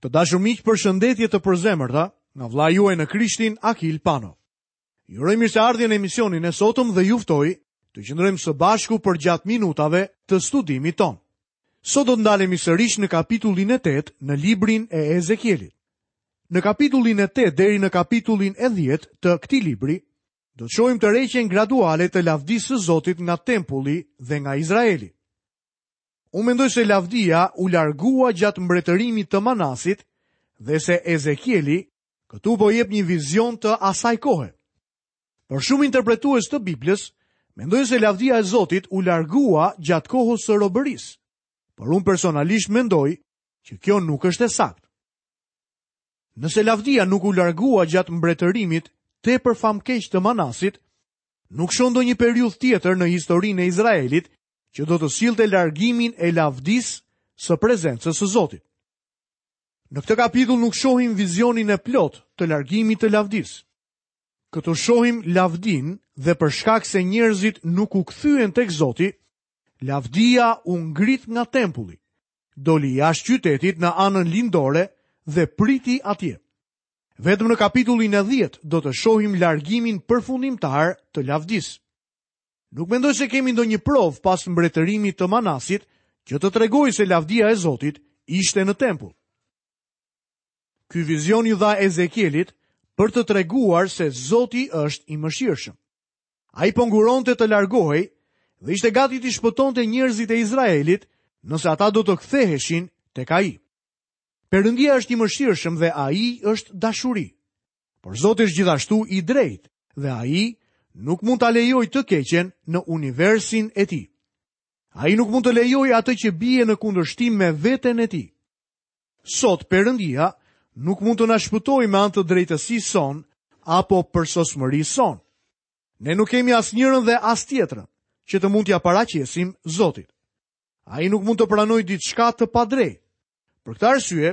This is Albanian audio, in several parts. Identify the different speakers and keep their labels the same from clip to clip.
Speaker 1: Të dashur miq, përshëndetje të përzemërta nga vëllai juaj në Krishtin Akil Pano. Ju uroj mirëseardhje në emisionin e sotëm dhe ju ftoj të qëndrojmë së bashku përgjatë minutave të studimit tonë. Sot do të ndalemi sërish në kapitullin e 8 në librin e Ezekielit. Në kapitullin e 8 deri në kapitullin e 10 të këtij libri, do të shohim tërheqjen graduale të lavdisë së Zotit nga tempulli dhe nga Izraeli. Unë mendoj se lavdia u largua gjatë mbretërimit të Manasit dhe se Ezekieli këtu po jep një vizion të asaj kohe. Por shumë interpretues të Biblës mendojnë se lavdia e Zotit u largua gjatë kohës së robërisë. Por unë personalisht mendoj që kjo nuk është e saktë. Nëse lavdia nuk u largua gjatë mbretërimit tepër famkeq të Manasit, nuk shoh ndonjë periudhë tjetër në historinë e Izraelit që do të sillte largimin e lavdisë së prezencës së Zotit. Në këtë kapitull nuk shohim vizionin e plotë të largimit të lavdisë. Këtu shohim lavdinë dhe për shkak se njerëzit nuk u kthyen tek Zoti, lavdia u ngrit nga tempulli, doli jashtë qytetit në anën lindore dhe priti atje. Vetëm në kapitullin e 10 do të shohim largimin përfundimtar të lavdisë. Nuk mendoj se kemi ndonjë provë pas mbretërimit të Manasit që të tregojë se lavdia e Zotit ishte në tempull. Ky vizion iu dha Ezekielit për të treguar se Zoti është i mëshirshëm. Ai po nguronte të largohej dhe ishte gati t'i shpëtonte njerëzit e Izraelit nëse ata do të ktheheshin tek ai. Perëndia është i mëshirshëm dhe ai është dashuri. Por Zoti është gjithashtu i drejtë dhe ai nuk mund ta lejojë të keqen në universin e tij. Ai nuk mund të lejojë atë që bie në kundërshtim me veten e tij. Sot Perëndia nuk mund të na shpëtojë me anë të drejtësisë sonë apo përsosmërisë sonë. Ne nuk kemi as njërën dhe as tjetrën që të mund t'ia paraqesim Zotit. Ai nuk mund të pranojë diçka të padrejtë. Për këtë arsye,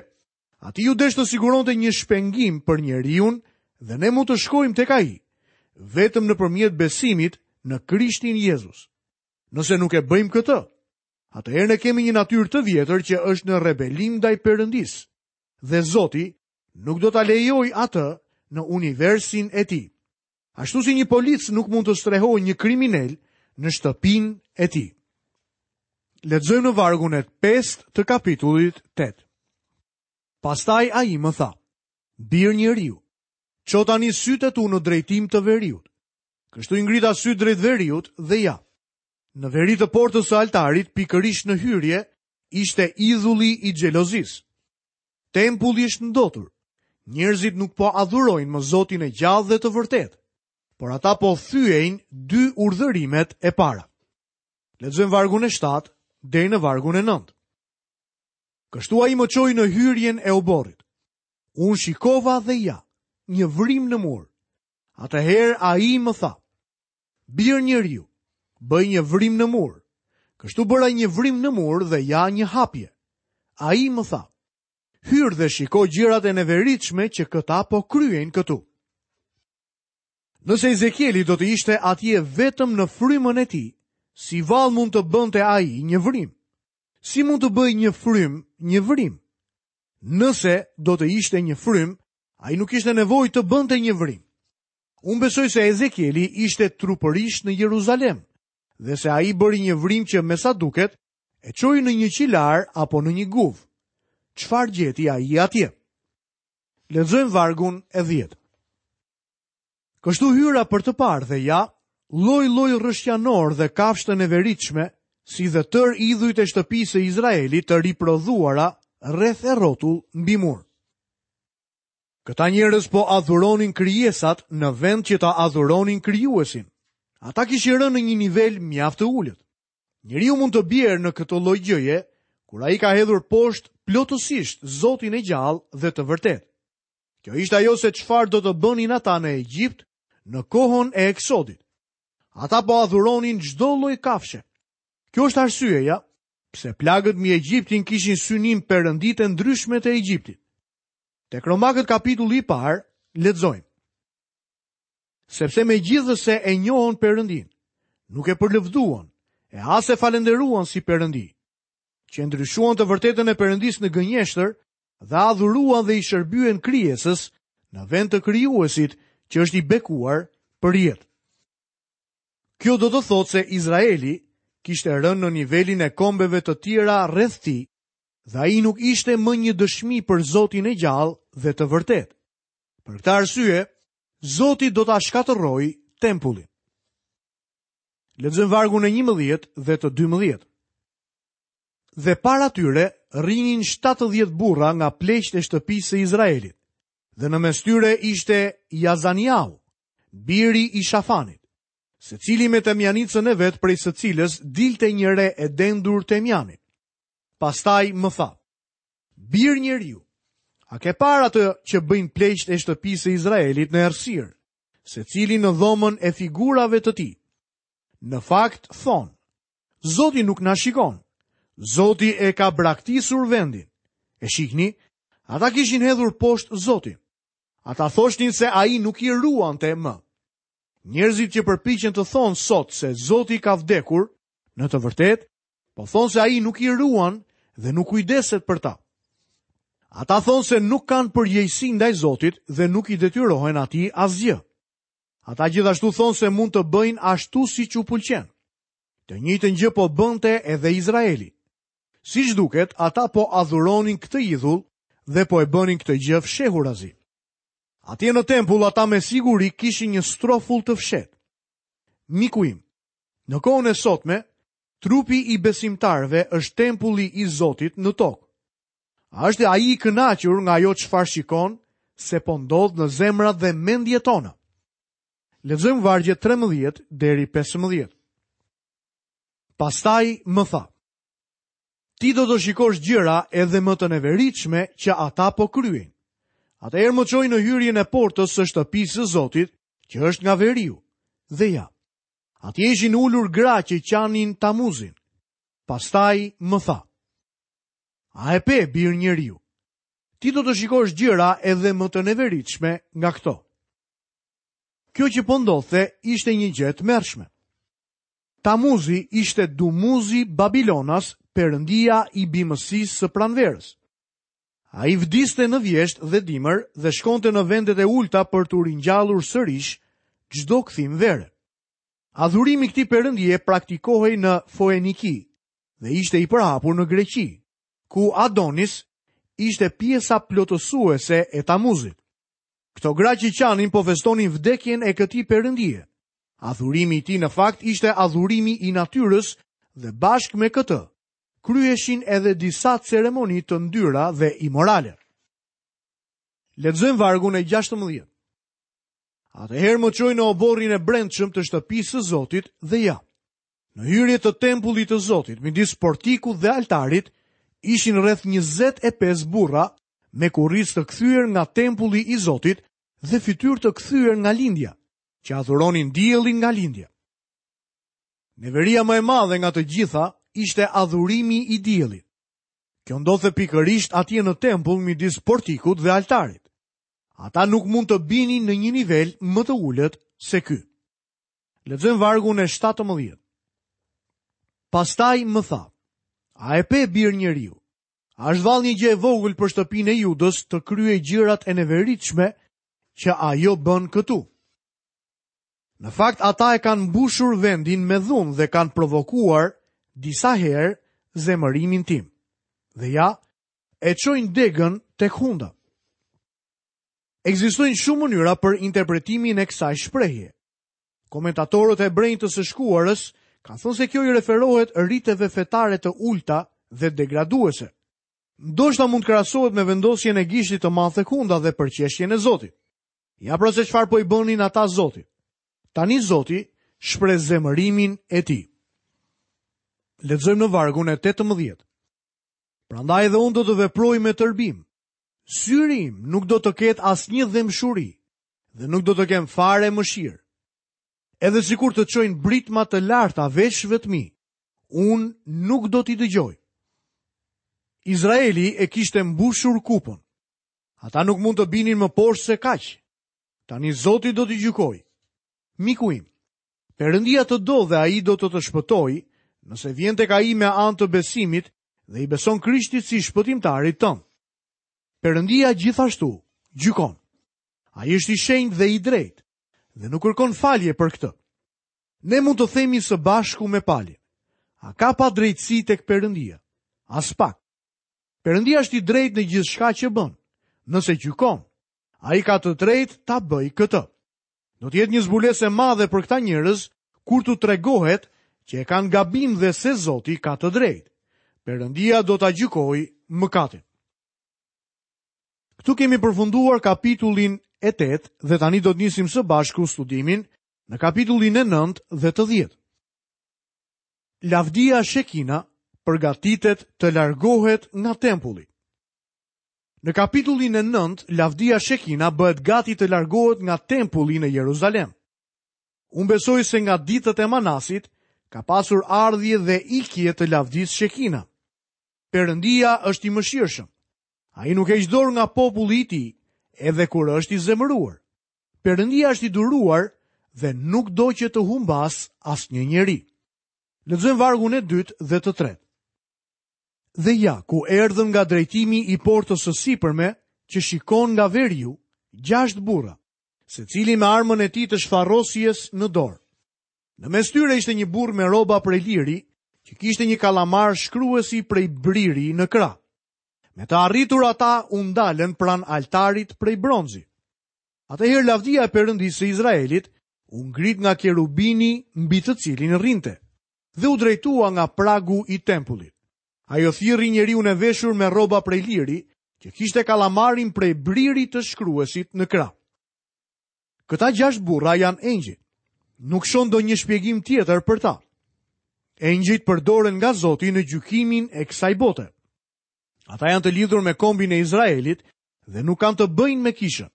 Speaker 1: Atij iu desh të siguronte një shpengim për njeriun dhe ne mund të shkojmë tek ai vetëm nëpërmjet besimit në Krishtin Jezus. Nëse nuk e bëjmë këtë, atëherë ne kemi një natyrë të vjetër që është në rebelim ndaj Perëndisë dhe Zoti nuk do ta lejojë atë në universin e tij. Ashtu si një polic nuk mund të strehojë një kriminel në shtëpinë e tij. Lexojmë në vargun e 5 të kapitullit 8. Pastaj ai më tha, bir njeriu, ço tani sytë e tu në drejtim të veriut. Kështu i ngrita sytë drejt veriut dhe ja. Në veri të portës së altarit, pikërisht në hyrje, ishte idhulli i xhelozisë. Tempulli është ndotur. Njerëzit nuk po adhurojnë më Zotin e gjallë dhe të vërtetë, por ata po thyejnë dy urdhërimet e para. Lexojmë vargun e 7 deri në vargun e 9. Kështu ai më çoi në hyrjen e oborrit. Unë shikova dhe ja, një vrimë në mur. Atëherë ai më tha, bir njeriu, bëj një vrimë në mur. Kështu bëra një vrimë në mur dhe ja një hapje. Ai më tha, hyr dhe shiko gjërat e neveritshme që këta po kryejnë këtu. Nëse Ezekieli do të ishte atje vetëm në frymën e tij, si vallë mund të bënte ai një vrimë? Si mund të bëjë një frymë një vrimë? Nëse do të ishte një frymë, ai nuk kishte nevojë të bënte një vrimë. Unë besoj se Ezekieli ishte trupërisht në Jeruzalem dhe se ai bëri një vrimë që me sa duket e çoi në një qilar apo në një guvë. Çfarë gjeti ai atje? Lexojmë vargun e 10. Kështu hyra për të parë dhe ja, lloj-lloj rrëshqanorë dhe kafshë të neveritshme, si dhe tërë idhujt e shtëpisë së Izraelit të riprodhuara rreth e rrotull mbi mur. Këta njerëz po adhuronin krijesat në vend që ta adhuronin krijuesin. Ata kishin rënë në një nivel mjaft të ulët. Njeriu mund të bjerë në këtë lloj gjëje kur ai ka hedhur poshtë plotësisht Zotin e gjallë dhe të vërtetë. Kjo ishte ajo se çfarë do të bënin ata në Egjipt në kohën e Eksodit. Ata po adhuronin çdo lloj kafshe. Kjo është arsyeja pse plagët mbi Egjiptin kishin synim perënditë e ndryshme të Egjiptit. Tek Romakët kapitulli i parë, lexojmë. Sepse megjithëse e njohën Perëndinë, nuk e përlëvduan, e as e falënderuan si Perëndi, që e ndryshuan të vërtetën e Perëndisë në gënjeshtër. Dhe adhuruan dhe i shërbyen krijesës në vend të krijuesit që është i bekuar përjetë. Kjo do të thotë se Izraeli kishte rënë në nivelin e kombeve të tjera rreth tij dhe ai nuk ishte më një dëshmi për Zotin e gjallë dhe të vërtetë. Për këtë arsye, Zoti do ta shkatërrojë tempullin. Lexojmë vargun e 11 dhe të 12. Dhe para tyre rrinin 70 burra nga pleqtë e shtëpisë së Izraelit. Dhe në mes tyre ishte Jazaniau, biri i Shafanit. Secili me temjanicën e vet prej së cilës dilte një re e dendur temjani. Pastaj më tha, bir njeriu, a ke parë atë që bëjnë pleqtë e shtëpisë së Izraelit në errësirë, secili në dhomën e figurave të tij? Në fakt, thonë, Zoti nuk na shikon, Zoti e ka braktisur vendin. E shihni, ata kishin hedhur poshtë Zotin. Ata thoshnin se ai nuk i ruante më. Njerëzit që përpiqen të thonë sot se Zoti ka vdekur, në të vërtetë, Po thonë se ai nuk i ruan dhe nuk kujdeset për ta. Ata thonë se nuk kanë përgjegjësi ndaj Zotit dhe nuk i detyrohen atij asgjë. Ata gjithashtu thonë se mund të bëjnë ashtu siç u pëlqen. Të njëjtën gjë po bënte edhe Izraeli. Siç duket, ata po adhuronin këtë idhull dhe po e bënin këtë gjë fshehurazi. Atje në tempull ata me siguri kishin një strofull të fshehtë. Miku im, Në kohën e sotme, trupi i besimtarëve është tempulli i Zotit në tokë. A është ai i kënaqur nga ajo çfarë shikon se po ndodh në zemrat dhe mendjet tona? Lexojmë vargjet 13 deri 15. Pastaj më tha: Ti do të shikosh gjëra edhe më të neveritshme që ata po kryejnë. Atëherë më çoi në hyrjen e portës së shtëpisë së Zotit, që është nga veriu. Dhe ja, Atje ishin ulur gra që qanin Tamuzin. Pastaj më tha: A e pe bir njeriu? Ti do të shikosh gjëra edhe më të neveritshme nga këto. Kjo që po ndodhte ishte një gjë e tmerrshme. Tamuzi ishte Dumuzi babilonas, perëndia i bimësisë së pranverës. Ai vdiste në vjeshtë dhe dimër dhe shkonte në vendet e ulëta për t'u ringjallur sërish çdo kthim vere. Adhurimi i këtij perëndie praktikohej në Foeniki dhe ishte i përhapur në Greqi, ku Adonis ishte pjesa plotësuese e Tamuzit. Këto gra që qanin po festonin vdekjen e këtij perëndie. Adhurimi i tij në fakt ishte adhurimi i natyrës dhe bashkë me këtë kryheshin edhe disa ceremoni të ndyra dhe imorale. Lexojmë vargun e 16. Atëherë më çoi në oborrin e brendshëm të shtëpisë së Zotit dhe ja. Në hyrje të tempullit të Zotit, midis portikut dhe altarit, ishin rreth 25 burra me kurriz të kthyer nga tempulli i Zotit dhe fytyrë të kthyer nga lindja, që adhuronin diellin nga lindja. Neveria më e madhe nga të gjitha ishte adhurimi i diellit. Kjo ndodhte pikërisht atje në tempull midis portikut dhe altarit. Ata nuk mund të binin në një nivel më të ulët se ky. Lexojmë vargun e 17. Pastaj më tha, a e pe bir njeriu? A është vallë një gjë e vogël për shtëpinë e Judës të kryejë gjërat e neveritshme që ajo bën këtu? Në fakt ata e kanë mbushur vendin me dhunë dhe kanë provokuar disa herë zemërimin tim. Dhe ja, e çojnë degën tek hunda. Ekzistojnë shumë mënyra për interpretimin e kësaj shprehje. Komentatorët hebrenj të së shkuarës kanë thënë se kjo i referohet riteve fetare të ulëta dhe degraduese. Ndoshta mund të krahasohet me vendosjen e gishtit të madh tek hunda dhe përqeshjen e Zotit. Ja pra se çfarë po i bënin ata Zotit. Tani Zoti shpreh zemërimin e tij. Lexojmë në vargun e 18. Prandaj edhe unë do të veproj me tërbim. Syri im nuk do të ketë asnjë dhembshuri dhe nuk do të kem fare mëshirë. Edhe sikur të çojnë britma të larta veshëve të mi, unë nuk do t'i dëgjoj. Izraeli e kishte mbushur kupën. Ata nuk mund të binin më poshtë se kaq. Tani Zoti do t'i gjykojë. Miku im, Perëndia të do dhe ai do të të shpëtojë, nëse vjen tek ai me anë të besimit dhe i beson Krishtit si shpëtimtarit tënd. Perëndia gjithashtu gjykon. Ai është i shenjtë dhe i drejtë dhe nuk kërkon falje për këtë. Ne mund të themi së bashku me Palin. A ka padrejtësi tek Perëndia? Aspak. Perëndia është i drejtë në gjithçka që bën. Nëse gjykon, ai ka të drejtë ta bëjë këtë. Do të jetë një zbulesë e madhe për këta njerëz kur t'u tregohet që e kanë gabim dhe se Zoti ka të drejtë. Perëndia do ta gjykojë mëkatin. Këtu kemi përfunduar kapitullin e 8 dhe tani do të nisim së bashku studimin në kapitullin e 9 dhe të 10. Lavdia Shekina përgatitet të largohet nga tempulli. Në kapitullin e 9, lavdia Shekina bëhet gati të largohet nga tempulli në Jeruzalem. Unë besoj se nga ditët e Manasit ka pasur ardhje dhe ikje të lavdisë Shekina. Perëndia është i mëshirshëm. Ai nuk heq dorë nga populli i tij, edhe kur është i zemëruar. Perëndia është i duruar dhe nuk do që të humbasë asnjë njeri. Lexojmë vargun e dytë dhe të tretë. Dhe ja, ku erdhën nga drejtimi i portës së sipërme, që shikon nga veriu, gjashtë burra, secili me armën e tij të shfarosjes në dorë. Në mes tyre ishte një burrë me rroba prej liri, që kishte një kallamar shkruesi prej briri në krah. Me të arritur ata u ndalën pranë altarit prej bronzi. Atëherë lavdia e Perëndisë së Izraelit u ngrit nga kerubini mbi të cilin rrinte dhe u drejtua nga pragu i tempullit. Ajo thirri njeriun e veshur me rroba prej liri, që kishte kallamarin prej briri të shkruesit në krah. Këta gjashtë burra janë engjëjt. Nuk shoh ndonjë shpjegim tjetër për ta. Engjëjt përdoren nga Zoti në gjykimin e kësaj bote. Ata janë të lidhur me kombin e Izraelit dhe nuk kanë të bëjnë me kishën.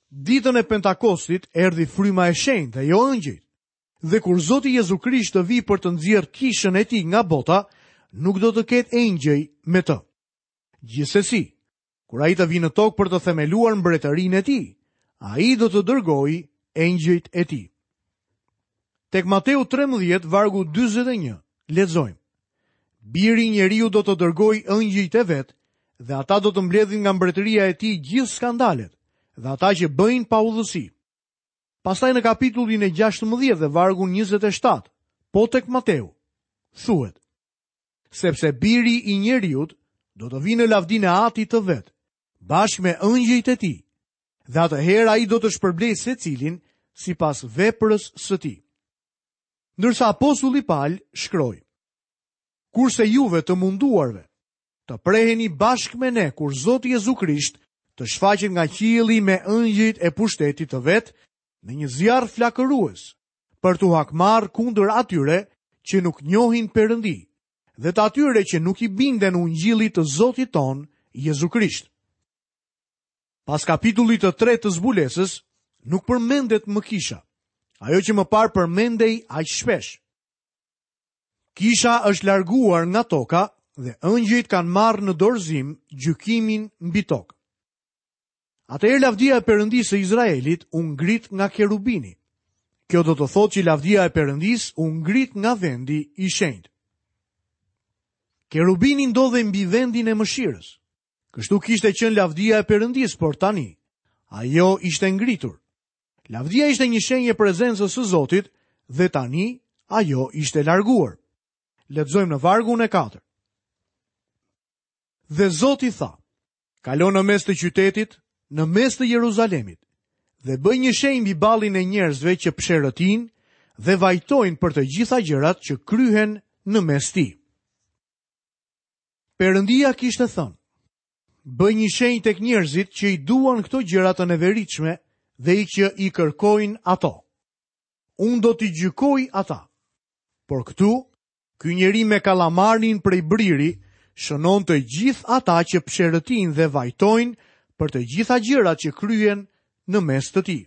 Speaker 1: Ditën e Pentakostit erdhi fryma e shenjtë dhe jo engjëjt. Dhe kur Zoti Jezu Krisht të vijë për të nxjerrë kishën e tij nga bota, nuk do të ketë engjëj me të. Gjithsesi, kur ai të vijë në tokë për të themeluar mbretërinë e tij, ai do të dërgojë engjëjt e tij. Tek Mateu 13, vargu 41, lexojmë. Biri i njeriut do të dërgojë engjëjt e vet dhe ata do të mbledhin nga mbretëria e tij gjithë skandalet dhe ata që bëjnë paudhësi. Pastaj në kapitullin e 16 dhe vargun 27, po tek Mateu, thuhet: Sepse biri i njeriut do të vijë në lavdinë e atit të vet, bashkë me engjëjt e tij, dhe atëherë ai do të shpërblejë secilin sipas veprës së tij. Ndërsa apostulli Pal shkroi: Kurse juve të munduarve, të preheni bashkë me ne kur Zoti Jezu Krisht të shfaqet nga qielli me engjëjt e pushtetit të vet në një zjarr flakërues, për t'u hakmarrë kundër atyre që nuk njohin Perëndi dhe të atyre që nuk i binden ungjillit të Zotit tonë Jezu Krisht. Pas kapitullit të tretë të zbulesës, nuk përmendet më kisha, ajo që më parë përmendej aq shpesh. Kisha është larguar nga toka dhe engjëjt kanë marrë në dorëzim gjykimin mbi tokë. Atëherë lavdia e Perëndisë së Izraelit u ngrit nga kerubini. Kjo do të thotë që lavdia e Perëndisë u ngrit nga vendi i shenjtë. Kerubini ndodhej mbi vendin e mëshirës. Kështu kishte qenë lavdia e Perëndisë, por tani ajo ishte ngritur. Lavdia ishte një shenjë e prezencës së Zotit dhe tani ajo ishte larguar. Lexojmë në vargun e 4. Dhe Zoti tha, kalo në mes të qytetit, në mes të Jeruzalemit, dhe bëj një shenjë mbi ballin e njerëzve që psherëtijnë dhe vajtojnë për të gjitha gjërat që kryhen në mes tij. Perëndia kishte thënë, bëj një shenjë tek njerëzit që i duan këto gjëra të neveritshme dhe i që i kërkojnë ato. Unë do t'i gjykoj ata. Por këtu, ky njeri me kallamarin prej briri shënon të gjithë ata që psherëtijnë dhe vajtojnë për të gjitha gjërat që kryhen në mes të tij.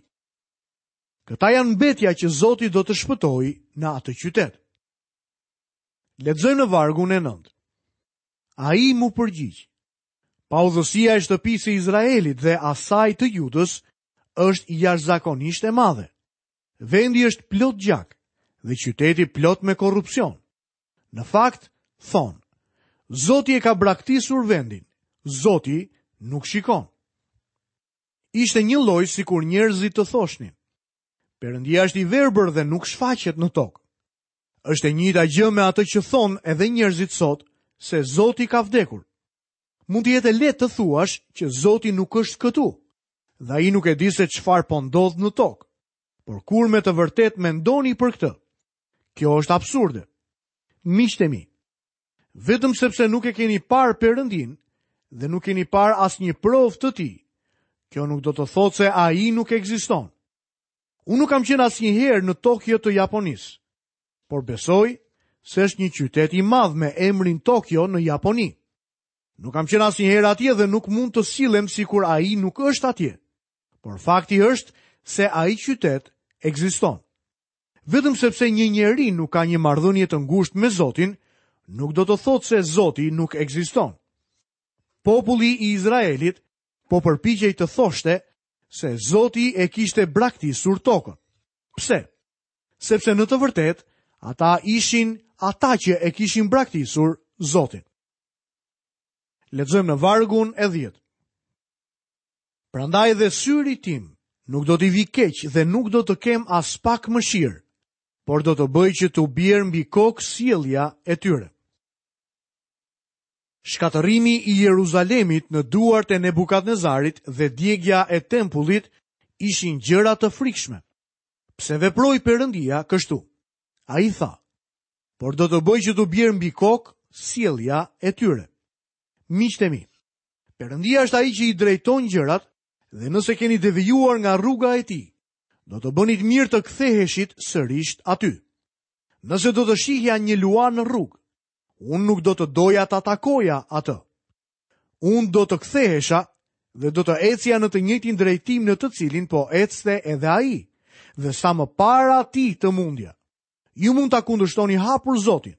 Speaker 1: Këta janë mbetja që Zoti do të shpëtojë në atë qytet. Lexojmë në vargun e 9. Ai m'u përgjigj. Paudhësia e shtëpisë së Izraelit dhe asaj të Judës është jashtëzakonisht e madhe. Vendi është plot gjak dhe qyteti plot me korrupsion. Në fakt, thonë, Zoti e ka braktisur vendin. Zoti nuk shikon. Ishte njëlloj sikur njerëzit të thoshnin, Perëndia është i verbër dhe nuk shfaqet në tokë. Është e njëjta gjë me atë që thonë edhe njerëzit sot se Zoti ka vdekur. Mund të jetë e lehtë të thuash që Zoti nuk është këtu dhe ai nuk e di se çfarë po ndodh në tokë. Por kur me të vërtetë mendoni për këtë, kjo është absurde. Miqtë e mi, vetëm sepse nuk e keni parë Perëndinë dhe nuk keni parë asnjë provë të tij, kjo nuk do të thotë se ai nuk ekziston. Unë nuk kam qenë asnjëherë në Tokio të Japonisë, por besoj se është një qytet i madh me emrin Tokio në Japoni. Nuk kam qenë asnjëherë atje dhe nuk mund të sillem sikur ai nuk është atje. Por fakti është se ai qytet ekziston. Vetëm sepse një njeri nuk ka një marrëdhënie të ngushtë me Zotin, nuk do të thotë se Zoti nuk ekziston. Populli i Izraelit po përpiqej të thoshte se Zoti e kishte braktisur tokën. Pse? Sepse në të vërtetë ata ishin ata që e kishin braktisur Zotin. Lexojmë në vargun e 10. Prandaj dhe syrit tim nuk do t'i vijë keq dhe nuk do të kem aspak mëshirë, por do të bëj që t'u bjerë mbi kokë sjellja e tyre. Shkatërrimi i Jeruzalemit në duart e Nebukadnezarit dhe djegia e tempullit ishin gjëra të frikshme. Pse veproi Perëndia kështu? Ai tha, por do të bëj që t'u bjerë mbi kokë sjellja e tyre. Miqtë e mi, Perëndia është ai që i drejton gjërat dhe nëse keni devijuar nga rruga e tij, do të bënit mirë të ktheheshit sërish aty. Nëse do të shihja një luan në rrugë, unë nuk do të doja ta takoja atë. Unë do të kthehesha dhe do të ecja në të njëjtin drejtim në të cilin po ecte edhe ai, dhe sa më para atij të mundja. Ju mund ta kundërshtoni hapur Zotin,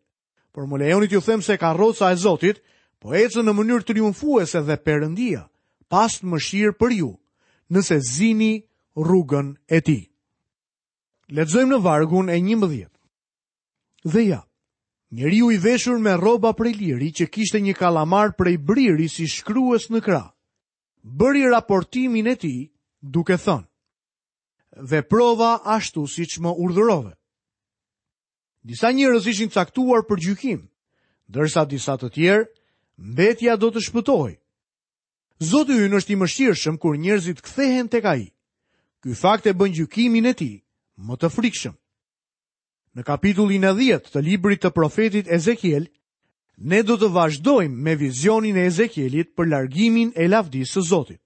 Speaker 1: por më lejoni t'ju them se karroca e Zotit po ecën në mënyrë triumfuese dhe Perëndia pastë mëshirë për ju, nëse zini rrugën e tij. Lexojmë në vargun e 11. Dhe ja, njeriu i veshur me rroba prej liri që kishte një kallamar prej briri si shkrues në krah, bëri raportimin e tij duke thënë: Veprova ashtu siç më urdhërove. Disa njerëz ishin caktuar për gjykim, ndërsa disa të tjerë mbetja do të shpëtohej. Zoti ynë është i mëshirshëm kur njerëzit kthehen tek ai. Ky fakt e bën gjykimin e tij më të frikshëm. Në kapitullin e 10 të librit të profetit Ezekiel, ne do të vazhdojmë me vizionin e Ezekielit për largimin e lavdisë së Zotit.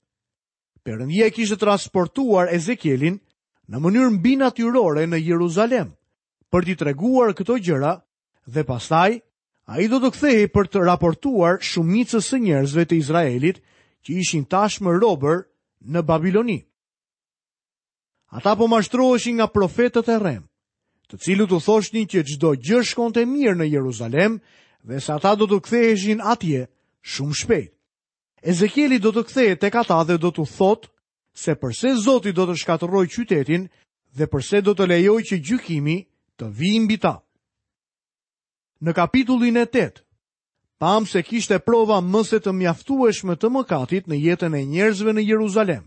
Speaker 1: Perëndia e kishte transportuar Ezekielin në mënyrë mbinatyrore në Jeruzalem për t'i treguar këto gjëra dhe pastaj ai do të kthehej për të raportuar shumicës së njerëzve të Izraelit që ishin tashmë robër në Babiloni. Ata po mashtroheshin nga profetët e rremë, të cilët u thoshnin që çdo gjë shkonte mirë në Jeruzalem dhe se ata do të ktheheshin atje shumë shpejt. Ezekieli do të kthehet tek ata dhe do t'u thotë se përse Zoti do të shkatërrojë qytetin dhe përse do të lejojë që gjykimi të vijë mbi ta. Në kapitullin e 8, pamë se kishte prova më se të mjaftueshme të mëkatit në jetën e njerëzve në Jeruzalem.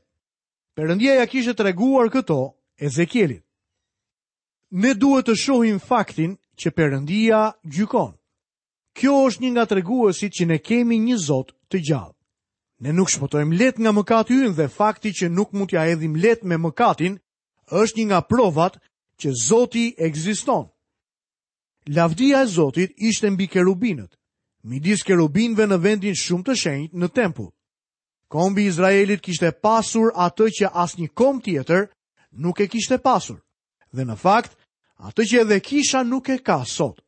Speaker 1: Perëndia ia kishte treguar këto Ezekielit. Ne duhet të shohim faktin që Perëndia gjykon. Kjo është një nga treguesit që ne kemi një Zot të gjallë. Ne nuk shpëtojmë lehtë nga mëkati ynë dhe fakti që nuk mund t'ia hedhim lehtë me mëkatin është një nga provat që Zoti ekziston. Lavdia e Zotit ishte mbi kerubinët, midis kerubinëve në vendin shumë të shenjtë në tempull. Kombi i Izraelit kishte pasur atë që asnjë komb tjetër nuk e kishte pasur. Dhe në fakt, atë që edhe kisha nuk e ka sot.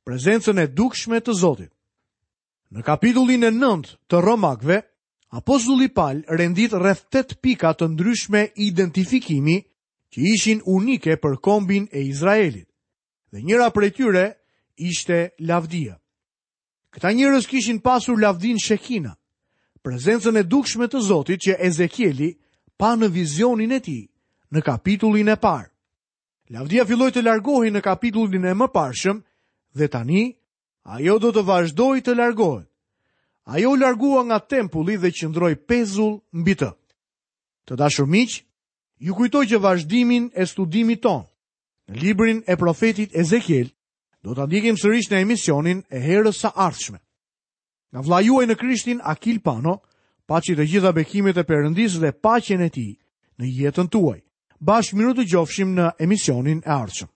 Speaker 1: Prezencën e dukshme të Zotit. Në kapitullin e 9 të Romakëve, apostulli Pal rendit rreth 8 pika të ndryshme identifikimi që ishin unike për kombin e Izraelit. Dhe njëra prej tyre ishte lavdia. Këta njerëz kishin pasur lavdinë Shekina, prezencën e dukshme të Zotit që Ezekieli pa në vizionin e tij në kapitullin e parë. Lavdia filloi të largohej në kapitullin e mëparshëm dhe tani ajo do të vazhdojë të largohet. Ajo u largua nga tempulli dhe qëndroi pezull mbi të. Të dashur miq, ju kujtoj që vazhdimin e studimit tonë në librin e profetit Ezekiel do ta ndjekim sërish në emisionin e herës së ardhshme. Nga vëllai juaj në Krishtin Akil Pano, paçi të gjitha bekimet e Perëndisë dhe paqen e tij në jetën tuaj. Bashkë mirudëgjofshim në emisionin e ardhshëm.